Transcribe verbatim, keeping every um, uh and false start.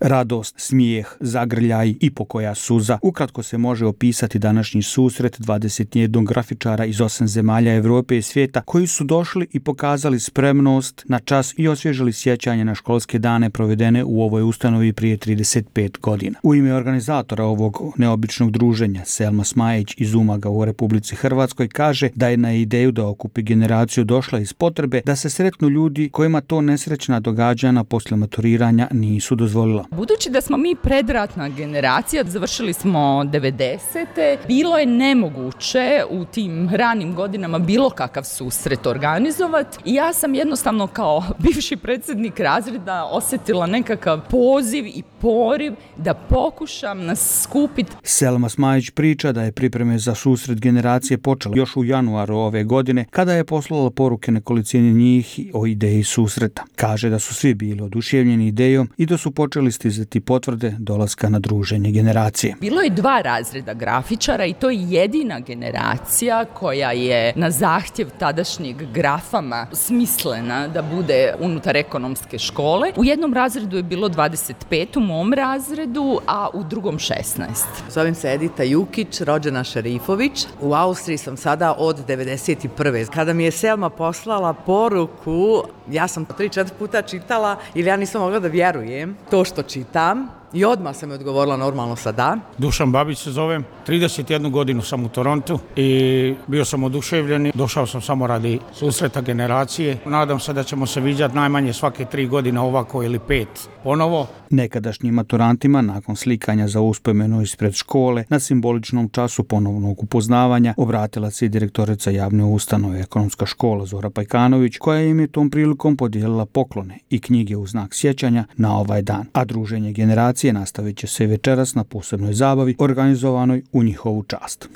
Radost, smijeh, zagrljaj i pokoja suza. Ukratko se može opisati današnji susret dvadeset jednog grafičara iz osam zemalja Evrope i svijeta koji su došli i pokazali spremnost na čas i osvježili sjećanje na školske dane provedene u ovoj ustanovi prije trideset pet godina. U ime organizatora ovog neobičnog druženja, Selma Smajić iz Umaga u Republici Hrvatskoj kaže da je na ideju da okupi generaciju došla iz potrebe da se sretnu ljudi kojima to nesrećna događanja poslije maturiranja nisu dozvolila. Budući da smo mi predratna generacija, završili smo devedesete, bilo je nemoguće u tim ranim godinama bilo kakav susret organizovati i ja sam jednostavno kao bivši predsjednik razreda osjetila nekakav poziv i poriv da pokušam nas skupiti. Selma Smajić priča da je pripreme za susret generacije počela još u januaru ove godine kada je poslala poruke nekolicini njih o ideji susreta. Kaže da su svi bili oduševljeni idejom i da su počeli stizati potvrde dolaska na druženje generacije. Bilo je dva razreda grafičara i to je jedina generacija koja je na zahtjev tadašnjeg grafama smislena da bude unutar ekonomske škole. U jednom razredu je bilo dvadeset pet, u mom razredu, a u drugom šesnaest. Zovem se Edita Jukić, rođena Šerifović. U Austriji sam sada od devedeset prve. Kada mi je Selma poslala poruku, ja sam tri četiri puta čitala ili ja nisam mogla da vjerujem to što čitam. I odmah sam mi odgovorila normalno sa da. Dušan Babić se zovem, trideset jednu godinu sam u Torontu i bio sam oduševljen. Došao sam samo radi susreta generacije. Nadam se da ćemo se viđati najmanje svake tri godine ovako ili pet ponovo. Nekadašnjim maturantima nakon slikanja za uspomenu ispred škole na simboličnom času ponovnog upoznavanja obratila se i direktorica javne ustanove Ekonomska škola Zora Pajkanović, koja im je tom prilikom podijelila poklone i knjige u znak sjećanja na ovaj dan. A druženje generacije nastavit će se večeras na posebnoj zabavi organizovanoj u njihovu čast.